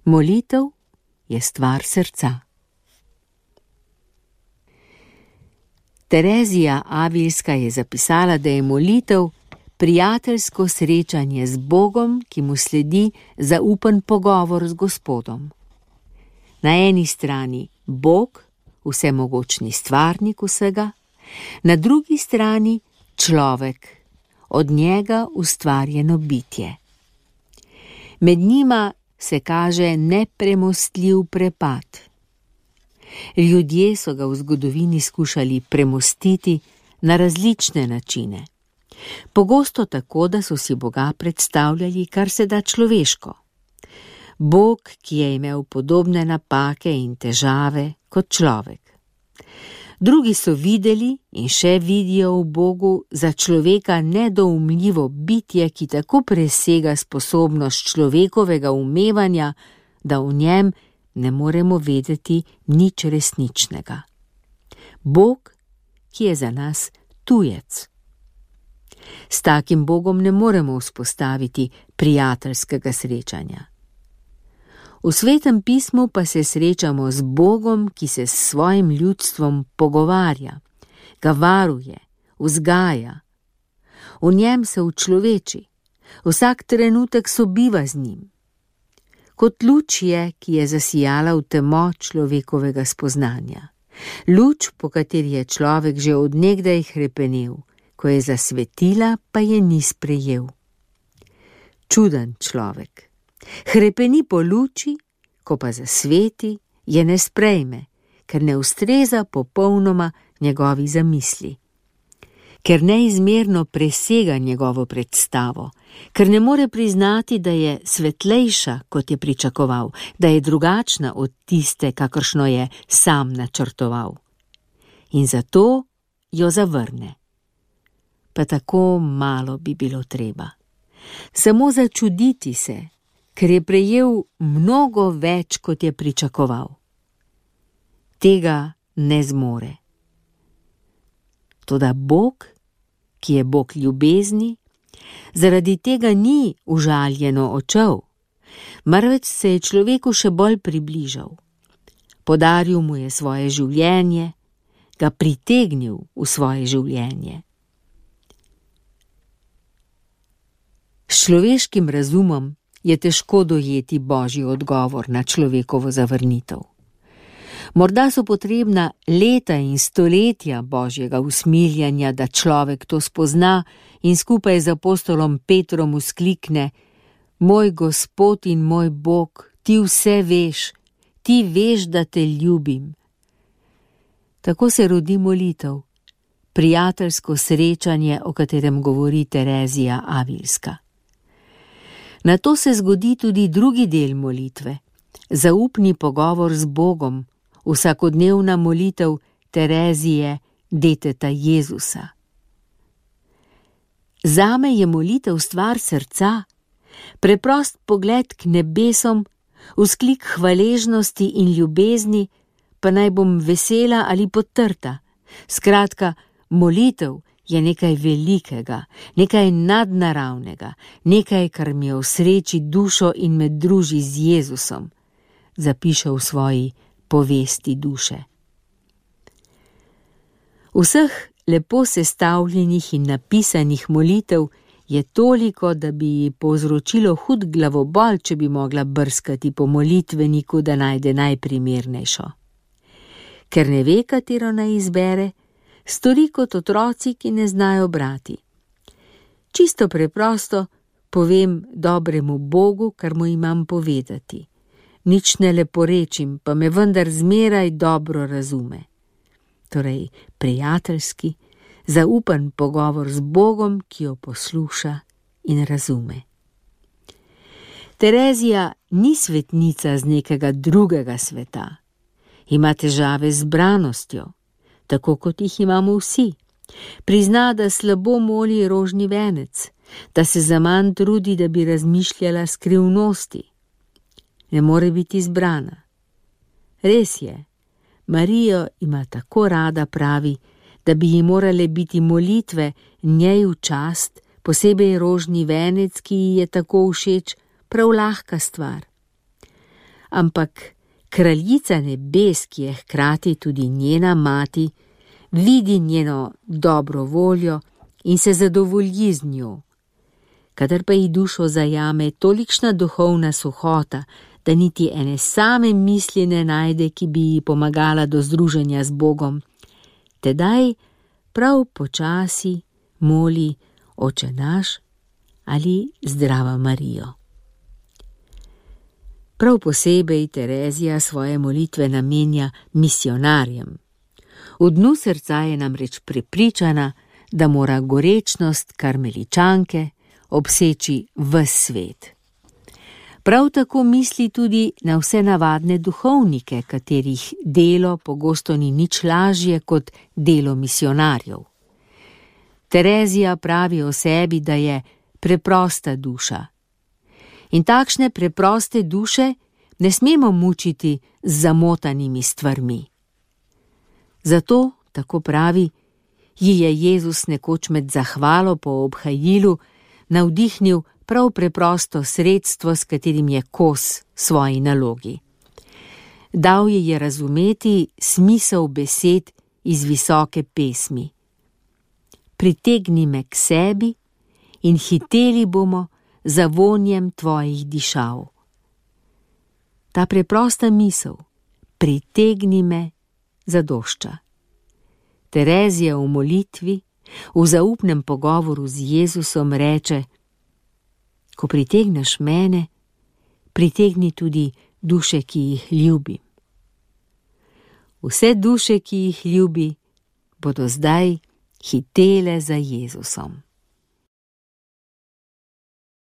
Molitev je stvar srca. Terezija Avilska je zapisala, da je molitev prijateljsko srečanje z Bogom, ki mu sledi zaupen pogovor z Gospodom. Na eni strani Bog, vsemogočni stvarnik vsega, na drugi strani človek, od njega ustvarjeno bitje. Med njima se kaže nepremostljiv prepad. Ljudje so ga v zgodovini skušali premostiti na različne načine. Pogosto tako, da so si Boga predstavljali kar se da človeško. Bog, ki je imel podobne napake in težave kot človek. Drugi so videli in še vidijo v Bogu za človeka nedoumljivo bitje, ki tako presega sposobnost človekovega umevanja, da v njem ne moremo vedeti nič resničnega. Bog, ki je za nas tujec. S takim Bogom ne moremo vzpostaviti prijateljskega srečanja. V Svetem pismu pa se srečamo z Bogom, ki se s svojim ljudstvom pogovarja, ga varuje, vzgaja. V njem se učloveči, vsak trenutek sobiva z njim. Kot luč je, ki je zasijala v temo človekovega spoznanja. Luč, po kateri je človek že od nekdaj hrepenel, ko je zasvetila, pa je ni sprejel. Čuden človek. Hrepeni po luči, ko pa zasveti, je ne sprejme, ker ne ustreza popolnoma njegovi zamisli. Ker neizmerno presega njegovo predstavo, ker ne more priznati, da je svetlejša, kot je pričakoval, da je drugačna od tiste, kakršno je sam načrtoval. In zato jo zavrne. Pa tako malo bi bilo treba. Samo začuditi se, ker je prejel mnogo več, kot je pričakoval. Tega ne zmore. Toda Bog, ki je Bog ljubezni, zaradi tega ni užaljeno očel, marveč se je človeku še bolj približal. Podaril mu je svoje življenje, ga pritegnil v svoje življenje. S človeškim razumom je težko dojeti Božji odgovor na človekovo zavrnitev. Morda so potrebna leta in stoletja Božjega usmiljanja, da človek to spozna in skupaj z apostolom Petrom vzklikne: Moj Gospod in moj Bog, ti vse veš, ti veš, da te ljubim. Tako se rodi molitev, prijateljsko srečanje, o katerem govori Terezija Avilska. Nato se zgodi tudi drugi del molitve, zaupni pogovor z Bogom, vsakodnevna molitev Terezije, deteta Jezusa. Zame je molitev stvar srca, preprost pogled k nebesom, vzklik hvaležnosti in ljubezni, pa naj bom vesela ali potrta. Skratka, molitev je nekaj velikega, nekaj nadnaravnega, nekaj, kar mi v sreči dušo in me druži z Jezusom, zapiše v svoji povesti duše. Vseh lepo sestavljenih in napisanih molitev je toliko, da bi ji povzročilo hud glavobol, če bi mogla brskati po molitveniku, da najde najprimernejšo. Ker ne ve, katero naj izbere, stori kot otroci, ki ne znajo brati. Čisto preprosto povem dobremu Bogu, kar mu imam povedati. Nič ne leporečim, pa me vendar zmeraj dobro razume. Torej, prijateljski, zaupen pogovor z Bogom, ki jo posluša in razume. Terezija ni svetnica z nekega drugega sveta. Ima težave z zbranostjo, tako kot jih imamo vsi. Prizna, da slabo moli rožni venec, da se zaman trudi, da bi razmišljala skrivnosti. Ne more biti zbrana. Res je, Marijo ima tako rada, pravi, da bi ji morale biti molitve njej v čast, posebej rožni venec, ki ji je tako všeč, prav lahka stvar. ampak kraljica nebes, ki je hkrati tudi njena mati, vidi njeno dobro voljo in se zadovolji z njo. Kadar pa ji dušo zajame tolikšna duhovna suhota, da niti ene same misli ne najde, ki bi ji pomagala do združenja z Bogom, tedaj prav počasi moli Oče naš ali Zdrava Marijo. Prav posebej Terezija svoje molitve namenja misionarjem. V dnu srca je namreč prepričana, da mora gorečnost karmeličanke obseči ves svet. Prav tako misli tudi na vse navadne duhovnike, katerih delo pogosto ni nič lažje kot delo misionarjev. Terezija pravi o sebi, da je preprosta duša. In takšne preproste duše ne smemo mučiti z zamotanimi stvarmi. Zato, tako pravi, ji je Jezus nekoč med zahvalo po obhajilu navdihnil prav preprosto sredstvo, s katerim je kos svoji nalogi. Dal ji je razumeti smisel besed iz visoke pesmi. Pritegni me k sebi in hiteli bomo za vonjem tvojih dišav. Ta preprosta misel, pritegni me, zadošča. Terezija v molitvi, v zaupnem pogovoru z Jezusom reče: ko pritegneš mene, pritegni tudi duše, ki jih ljubim. Vse duše, ki jih ljubi, bodo zdaj hitele za Jezusom.